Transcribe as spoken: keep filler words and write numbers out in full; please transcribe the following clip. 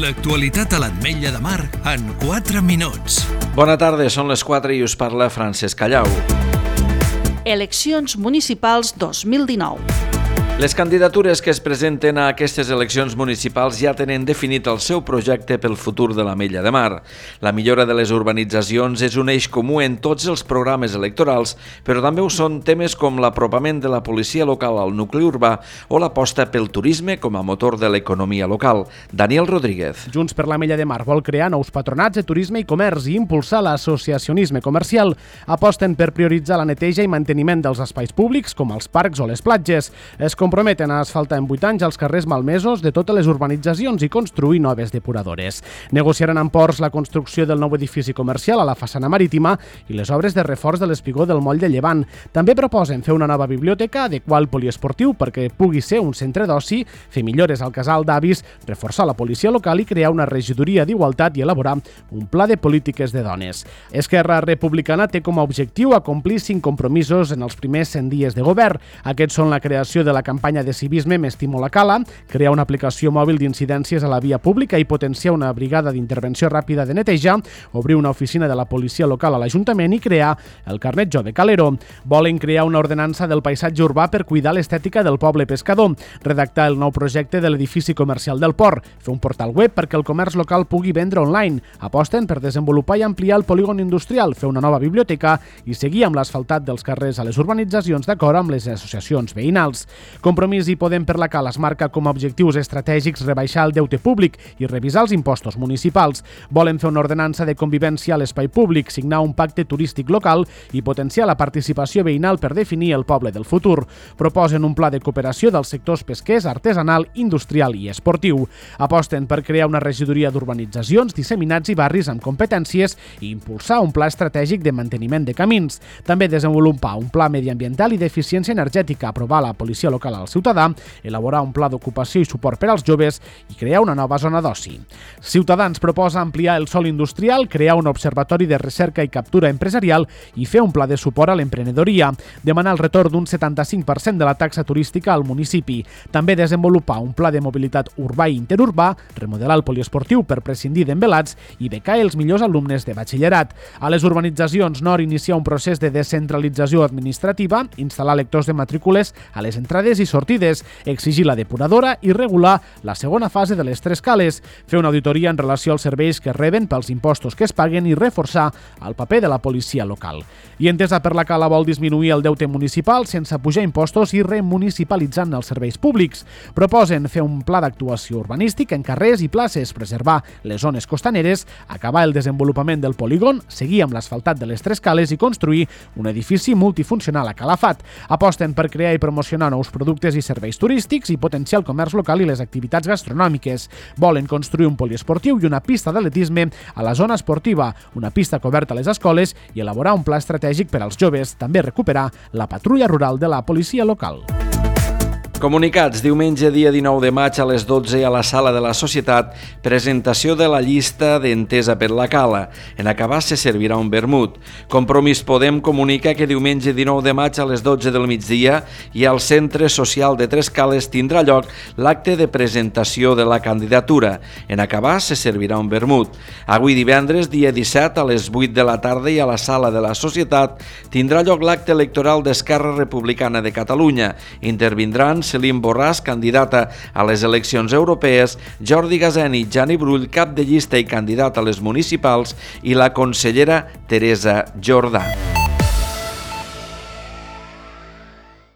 L'actualitat a l'Ametlla de Mar en quatre minuts. Bona tarda, són les quatre i us parla Francesc Callau. Eleccions municipals dos mil dinou. Les candidatures que es presenten a aquestes eleccions municipals ja tenen definit el seu projecte pel futur de l'Ametlla de Mar. La millora de les urbanitzacions és un eix comú en tots els programes electorals, però també ho són temes com l'apropament de la policia local al nucli urbà o l'aposta pel turisme com a motor de l'economia local. Daniel Rodríguez. Junts per l'Ametlla de Mar vol crear nous patronats de turisme i comerç i impulsar l'associacionisme comercial. Aposten per prioritzar la neteja i manteniment dels espais públics, com els parcs o les platges. Es comprometen a asfaltar en vuit anys els carrers malmesos de totes les urbanitzacions i construir noves depuradores. Negociaran amb Ports la construcció del nou edifici comercial a la façana marítima i les obres de reforç de l'espigó del moll de Llevant. També proposen fer una nova biblioteca, adequar el poliesportiu perquè pugui ser un centre d'oci, fer millores al casal d'avis, reforçar la policia local i crear una regidoria d'igualtat i elaborar un pla de polítiques de dones. Esquerra Republicana té com a objectiu acomplir cinc compromisos en els primers cent dies de govern. Aquests són la creació de la campanya de civisme M'estimo la cala, crear una aplicació mòbil d'incidències a la via pública i potenciar una brigada d'intervenció ràpida de neteja, obrir una oficina de la policia local a l'Ajuntament i crear el carnet jove calero. Volen crear una ordenança del paisatge urbà per cuidar l'estètica del poble pescador, redactar el nou projecte de l'edifici comercial del port, fer un portal web perquè el comerç local pugui vendre online, aposten per desenvolupar i ampliar el polígon industrial, fer una nova biblioteca i seguir amb l'asfaltat dels carrers a les urbanitzacions d'acord amb les associacions veïnals. Compromís i Podem per la Cala es marca com a objectius estratègics rebaixar el deute públic i revisar els impostos municipals. Volen fer una ordenança de convivència a l'espai públic, signar un pacte turístic local i potenciar la participació veïnal per definir el poble del futur. Proposen un pla de cooperació dels sectors pesquers, artesanal, industrial i esportiu. Aposten per crear una regidoria d'urbanitzacions, disseminats i barris amb competències i impulsar un pla estratègic de manteniment de camins. També desenvolupar un pla mediambiental i d'eficiència energètica, aprovar la policia local al ciutadà, elaborar un pla d'ocupació i suport per als joves i crear una nova zona d'oci. Ciutadans proposa ampliar el sòl industrial, crear un observatori de recerca i captura empresarial i fer un pla de suport a l'emprenedoria, demanar el retorn d'un setanta-cinc per cent de la taxa turística al municipi, també desenvolupar un pla de mobilitat urbà i interurbà, remodelar el poliesportiu per prescindir d'envelats i becar els millors alumnes de batxillerat. A les urbanitzacions Nord iniciar un procés de descentralització administrativa, instal·lar lectors de matrícules a les entrades i sortides, exigir la depuradora i regular la segona fase de les tres cales, fer una auditoria en relació als serveis que reben pels impostos que es paguen i reforçar el paper de la policia local. I Entesa per la Cala vol disminuir el deute municipal sense pujar impostos i remunicipalitzant els serveis públics. Proposen fer un pla d'actuació urbanístic en carrers i places, preservar les zones costaneres, acabar el desenvolupament del polígon, seguir amb l'asfaltat de les tres cales i construir un edifici multifuncional a Calafat. Aposten per crear i promocionar nous productes i serveis turístics i potenciar el comerç local i les activitats gastronòmiques. Volen construir un poliesportiu i una pista d'atletisme a la zona esportiva, una pista coberta a les escoles i elaborar un pla estratègic per als joves, també recuperar la patrulla rural de la policia local. Comunicats. Diumenge, dia dinou de maig, a les dotze, a la Sala de la Societat, presentació de la llista d'Entesa per la Cala. En acabar se servirà un vermut. Compromís Podem comunica que diumenge dinou de maig a les dotze del migdia i al Centre Social de Tres Cales tindrà lloc l'acte de presentació de la candidatura. En acabar se servirà un vermut. Avui divendres, dia disset, a les vuit de la tarda i a la Sala de la Societat tindrà lloc l'acte electoral d'Esquerra Republicana de Catalunya. Intervindran Selim Borràs, candidata a les eleccions europees, Jordi Gaseni i Jani Brull, cap de llista i candidat a les municipals, i la consellera Teresa Jordà.